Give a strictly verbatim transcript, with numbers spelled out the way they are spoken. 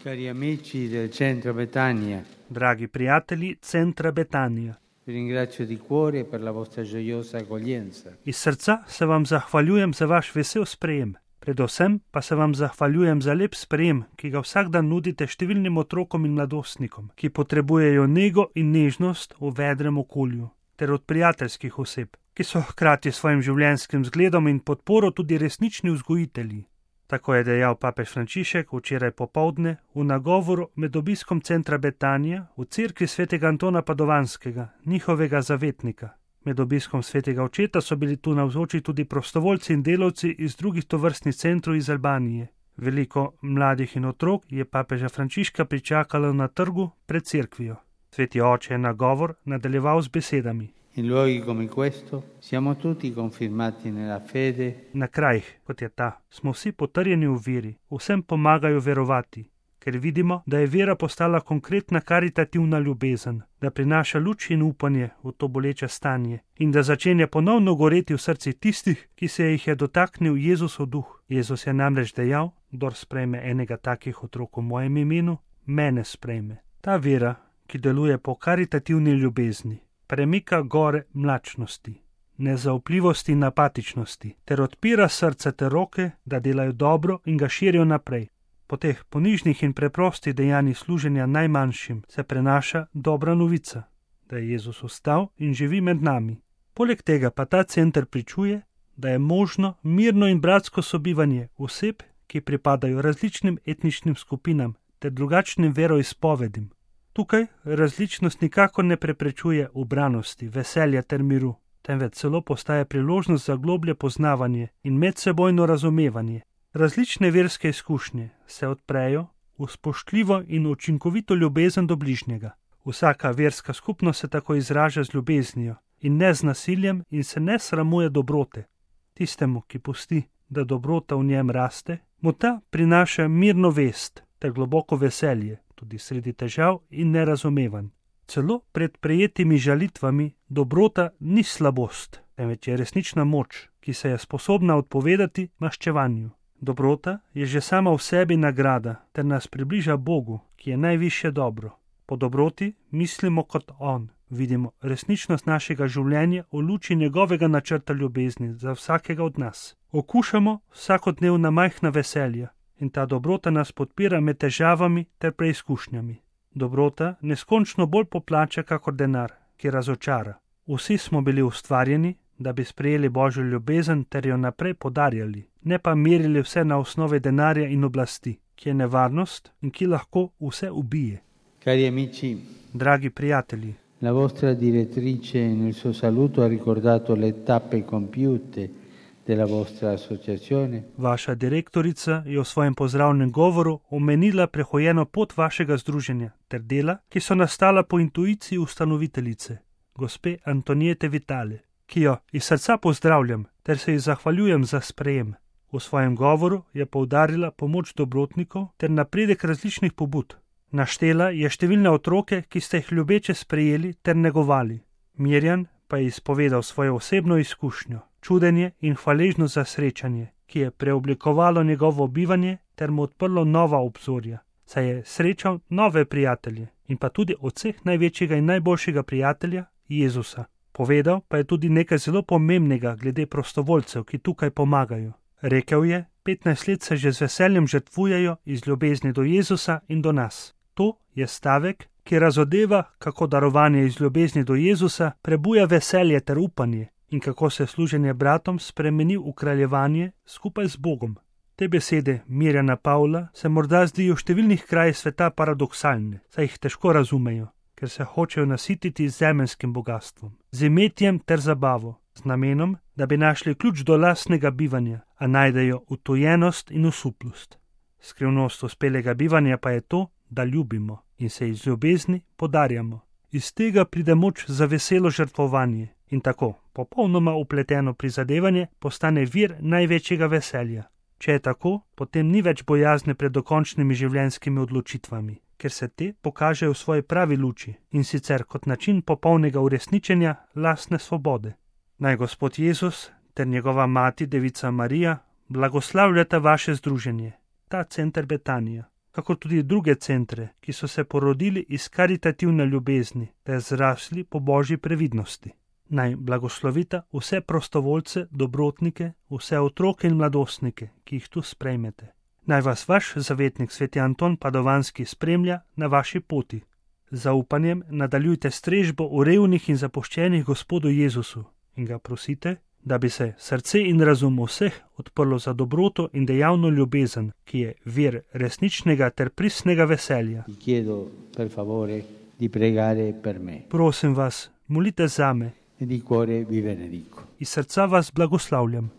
Cari amici del Centro Betania, Dragi prijatelji Centra Betanija, vi ringrazio di cuore per la vostra gioiosa accoglienza. iz srca se vam zahvaljujem za vaš vesel sprejem. Predvsem pa se vam zahvaljujem za lep sprejem, ki ga vsak dan nudite številnim otrokom in mladostnikom, ki potrebujejo nego in nežnost v vedrem okolju, ter od prijateljskih oseb, ki so hkrati s svojim življenjskim zgledom in podporo tudi resnični vzgojitelji. Tako je dejal papež Frančišek včeraj popoldne v nagovoru med obiskom Centra Betanija v cerkvi svetega Antona Padovanskega, njihovega zavetnika. Med obiskom svetega očeta so bili tu navzoči tudi prostovoljci in delavci iz drugih tovrstnih centrov iz Albanije. Veliko mladih in otrok je papeža Frančiška pričakalo na trgu pred cerkvijo. Sveti oče je nagovor nadaljeval z besedami. In luoghi come questo siamo tutti confermati nella fede. Na krajih, kot je ta, smo vsi potrjeni v veri, vsem pomagajo verovati, ker vidimo, da je vera postala konkretna karitativna ljubezen, da prinaša luč in upanje v to boleče stanje in da začenja ponovno goreti v srci tistih, ki se jih je dotaknil Jezusov duh. Jezus je namreč dejal, kdor sprejme enega takih otrok v mojem imenu, mene sprejme. Ta vera, ki deluje po karitativni ljubezni, premika gore mlačnosti, nezaupljivosti in apatičnosti, ter odpira srce ter roke, da delajo dobro in ga širijo naprej. Po teh ponižnih in preprostih dejanjih služenja najmanjšim se prenaša dobra novica, da je Jezus vstal in živi med nami. Poleg tega pa ta center pričuje, da je možno mirno in bratsko sobivanje oseb, ki pripadajo različnim etničnim skupinam ter drugačnim veroizpovedim. Tukaj različnost nikakor ne preprečuje ubranosti, veselja ter miru, temveč celo postaja priložnost za globlje poznavanje in medsebojno razumevanje. Različne verske izkušnje se odprejo v spoštljivo in učinkovito ljubezen do bližnjega. Vsaka verska skupnost se tako izraža z ljubeznijo in ne z nasiljem in se ne sramuje dobrote. Tistemu, ki pusti, da dobrota v njem raste, mu ta prinaša mirno vest ter globoko veselje, tudi sredi težav in nerazumevanj. Celo pred prejetimi žalitvami dobrota ni slabost, temveč je resnična moč, ki se je sposobna odpovedati maščevanju. Dobrota je že sama v sebi nagrada, ter nas približa Bogu, ki je najvišje dobro. Po dobroti mislimo kot On, vidimo resničnost našega življenja v luči njegovega načrta ljubezni za vsakega od nas. Okušamo vsakodnevna majhna veselja in ta dobrota nas podpira med težavami ter preizkušnjami. Dobrota neskončno bolj poplača kakor denar, ki razočara. Vsi smo bili ustvarjeni, da bi sprejeli Božjo ljubezen ter jo naprej podarjali, ne pa merili vse na osnovi denarja in oblasti, ki je nevarnost in ki lahko vse ubije. Cari amici, Dragi prijatelji, la vostra direttrice nel suo saluto ha ricordato le tappe compiute della vostra associazione. Vaša direktorica je v svojem pozdravnem govoru omenila prehojeno pot vašega združenja ter dela, ki so nastala po intuiciji ustanoviteljice, gospe Antoniete Vitale, ki jo iz srca pozdravljam ter se ji zahvaljujem za sprejem. V svojem govoru je poudarila pomoč dobrotnikov ter napredek različnih pobud. Naštela je številne otroke, ki ste jih ljubeče sprejeli ter negovali. Mirjan pa je izpovedal svojo osebno izkušnjo, čudenje in hvaležnost za srečanje, ki je preoblikovalo njegovo bivanje ter mu odprlo nova obzorja, saj je srečal nove prijatelje in pa tudi od vseh največjega in najboljšega prijatelja, Jezusa. Povedal pa je tudi nekaj zelo pomembnega glede prostovoljcev, ki tukaj pomagajo. Rekel je, petnajst let se že z veseljem žrtvujejo iz ljubezni do Jezusa in do nas. To je stavek, ki razodeva, kako darovanje iz ljubezni do Jezusa prebuja veselje ter upanje in kako se služenje bratom spremeni v kraljevanje skupaj z Bogom. Te besede Mirjana Pavla se morda zdijo v številnih krajih sveta paradoksalne, saj jih težko razumejo, ker se hočejo nasititi z zemeljskim bogastvom, z imetjem ter zabavo, z namenom, da bi našli ključ do lastnega bivanja, a najdejo utojenost in osuplost. Skrivnost uspelega bivanja pa je to, da ljubimo in se iz ljubezni podarjamo. Iz tega pride moč za veselo žrtvovanje in tako popolnoma upleteno prizadevanje postane vir največjega veselja. Če je tako, potem ni več bojazne pred dokončnimi življenjskimi odločitvami, ker se te pokažejo v svoji pravi luči in sicer kot način popolnega uresničenja lastne svobode. Naj Gospod Jezus ter njegova mati, devica Marija, blagoslavljata vaše združenje, ta center Betanija. kako tudi druge centre, ki so se porodili iz karitativne ljubezni, ter zrasli po božji previdnosti. Naj blagoslovita vse prostovoljce, dobrotnike, vse otroke in mladostnike, ki jih tu sprejmete. Naj vas vaš zavetnik sveti Anton Padovanski spremlja na vaši poti. Z zaupanjem nadaljujte strežbo v revnih in zapuščenih Gospodu Jezusu in ga prosite, da bi se srce in razum vseh odprlo za dobroto in dejavno ljubezen, ki je vir resničnega ter pristnega veselja. Chiedo per favore di pregare per me. Prosim vas, molite zame. E di cuore vi benedico. Iz srca vas blagoslavljam.